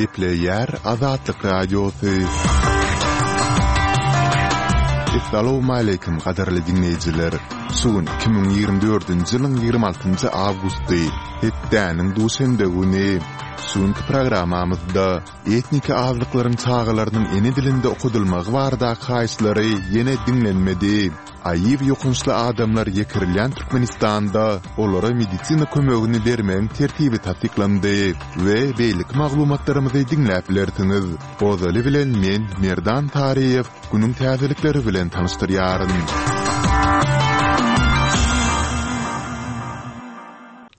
Gepleýär Azatlyk Radiosy. Essalawmaleýkim gadyrly diňleýjiler! Şu gün 2024-nji ýylyň 26-njy awgusty, hepdäniň duşenbe güni. Şu günki programmamyzda etniki azlyklaryň çagalarynyň ene dilinde okadylmagy baradaky haýyşlary ýene diňlenmedi. AIW ýokançly adamlar ýekirilýän Türkmenistanda olara medisina kömegini bermegiň tertibi tassyklandy we beýleki maglumatlarymyzy diňläp bilersiňiz. Ozaly bilen men, Merdan Taryýew, günüň täzelikleri bilen tanyşdyrýaryn.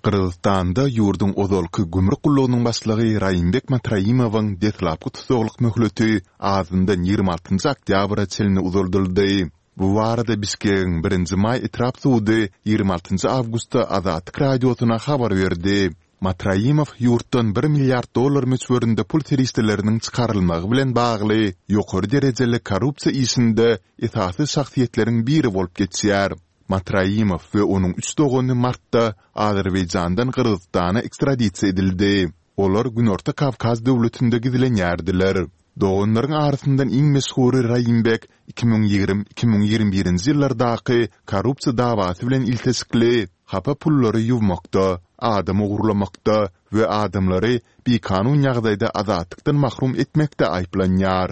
Gyrgyzystanda ýurduň ozalky gümrük gullugynyň başlygy Raýimbek Matraimowyň deslapky tussaglyk möhleti azyndan 26 oktýabra çenli uzaldyldy. Bu barada Bişkegiň Birinji maý etrap sudy 26 awgustda Azatlyk Radiosyna habar berdi. Matraimow ýurtdan bir milliard dollar möçberinde pul serişdeleriniň çykarylmagy bilen bagly ýokary derejeli korrupsiýa işinde esasy şahsyýetleriň biri bolup geçýär. Matraimow we onuň üç dogany martda Azerbaýjandan Gyrgyzystana ekstradisiýa edildi. Olar Günorta Kawkaz döwletinde gizlenýärdiler. Doganlaryň arasyndan iň meşhury Raimbek 2020, 2021-nji ýyllardaky korrupsiýa dawasy bilen ilteşikli hapa pullary ýuwmakda, adam ogurlamakda we adamlary bikanun ýagdaýda azatlykdan mahrum etmekde aýyplanýar.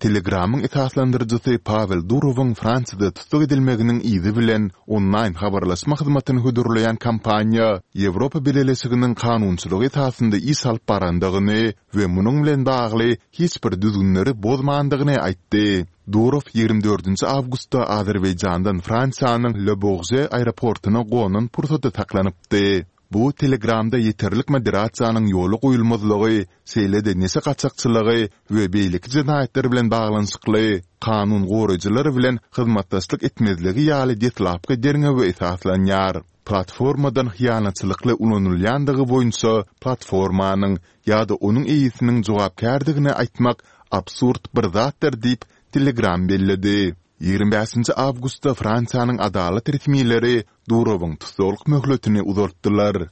Telegramyň esaslandyryjysy Pawel Durowyň Fransiýada tussag edilmeginiň yzy bilen onlaýn habarlaşma hyzmatyny hödürleýän kompaniýa Ýewropa Bileleşiginiň kanunçylygy esasynda iş alyp barandygyny we munuň bilen bagly hiç bir düzgünleri bozmandygyny aýtdy. Durow 24 nji awgustda Azerbaýjandan Fransiýanyň Le Bourget aeroportuna gonan pursady saklanypdy. Bu Telegramda ýeterlik moderasiýanyň ýola goýulmazlygy, şeýle-de neşe gaçakçylygy we beýleki jenaýatlar bilen baglanyşykly kanun goraýjylar bilen hyzmatdaşlyk etmezligi ýaly deslapky derňewe esaslanýar. Platformadan hyýanatçylykly ulanylýandygy boýunça platformanyň ýa-da onuň eýesiniň jogapkärdigini aýtmak absurd bir zatdyr diýip, Telegram belledi. 25 awgustda Fransiýanyň adalat resmileri Durowyň tussaglyk möhletini uzaltdylar.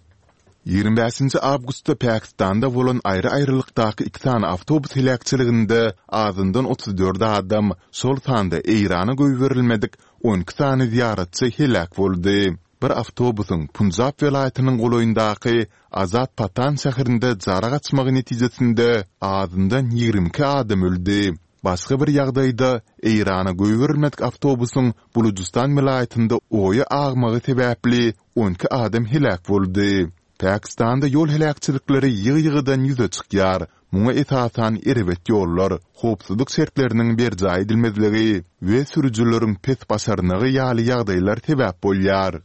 25 awgustda Pakistanda bolan aýry-aýrylykdaky iki sany awtobus heläkçiliginde azyndan 34 adam, şol sanda Eýrana goýberilmedik 12 sany zyýaratçy heläk boldy. Bir awtobusyň Punjab welaýatynyň golaýyndaky Azad Patan şäherinde jara gaçmagy netijesinde azyndan 22 adam öldi. Başga bir ýagdaýda, Eýrana goýberilmedik awtobusyň Bulujystan welaýatynda oýa agmagy sebäpli 12 adam heläk boldy. Pakistanda ýol heläkçilikleri ýygy-ýygydan ýüze çykýar. Muňa esasan erbet ýollar, howpsuzlyk şertleriniň berjaý edilmezligi we sürüjileriň pes başarnygy ýaly ýagdaýlar sebäp bolýar.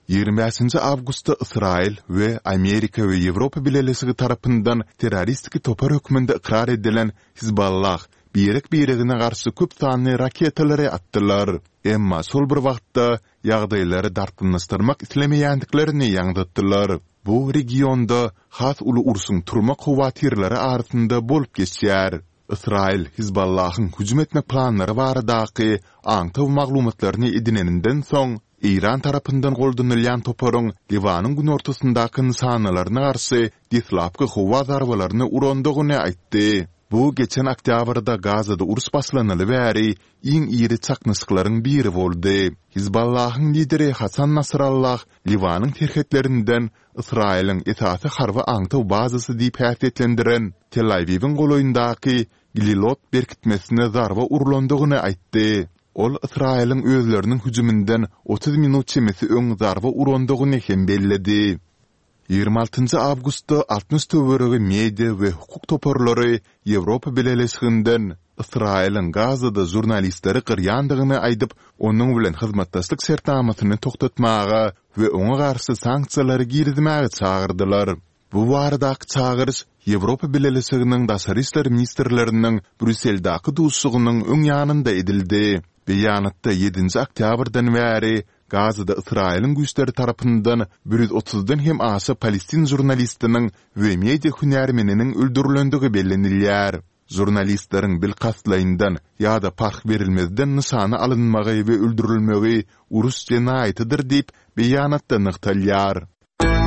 25 awgustda Ysraýyl we Amerika we Ýewropa Bileleşigi tarapyndan terroristik topar hökmünde ykrar edilen Hizballah birek-biregine garşy köp sanly raketalary atdylar. Emma şol bir wagtda ýagdaýlary dartgynlaşdyrmak islemeýändiklerini ýaňzytdylar. Bu regionda has uly urşuň turmak howatyrlary arasynda bolup geçýär. Ysraýyl Hizballahyň hüjüm etmek planlary baradaky aňtaw maglumatlaryny edineninden soň, Eýran tarapyndan goldanylýan toparyň Liwanyň günortasyndaky nyşanalaryna garşy deslapky howa zarbalaryny urandygyny aýtdy. Bu geçen oktýabrda Gazada uruş başlanaly bäri iň iri çaknyşyklaryň biri boldy. Hizballahyň lideri Hasan Nasrallah Liwanyň serhetlerinden Ysraýylyň esasy harby aňtaw bazasy diýip häsiýetlendiren Tel-Awiwiň golaýyndaky Glilot berkitmesine zarba urlandygyny aýtdy. Ol Ysraýylyň özleriniň hüjüminden 30 minut çemesi öň zarba urandygyny hem belledi. 26 awgustda 60 töweregi media we hukuk toparlary Ýewropa Bileleşiginden Ysraýylyň Gazada žurnalistleri gyrýandygyny aýdyp, onuň bilen hyzmatdaşlyk şertnamasyny togtatmaga we oňa garşy sanksiýalary girizmäge çagyrdylar. Bu baradaky çagyryş Ýewropa Bileleşiginiň daşary işler ministrleriniň Brýusseldäki duşuşygynyň öň ýanynda edildi. Beýanatda ýedinji oktýabrdan bäri Gazada Ysraýylyň güýçleri tarapyndan 130-dan hem aşa palestin žurnalistiniň we media hünärmeniniň öldürilendigi bellenilýär. Žurnalistleriň bilkastlaýyndan ýa-da parh berilmezden nyşana alynmagy we öldürilmegi uruş jenaýatydyr diýip, beýanatda nygtalýar.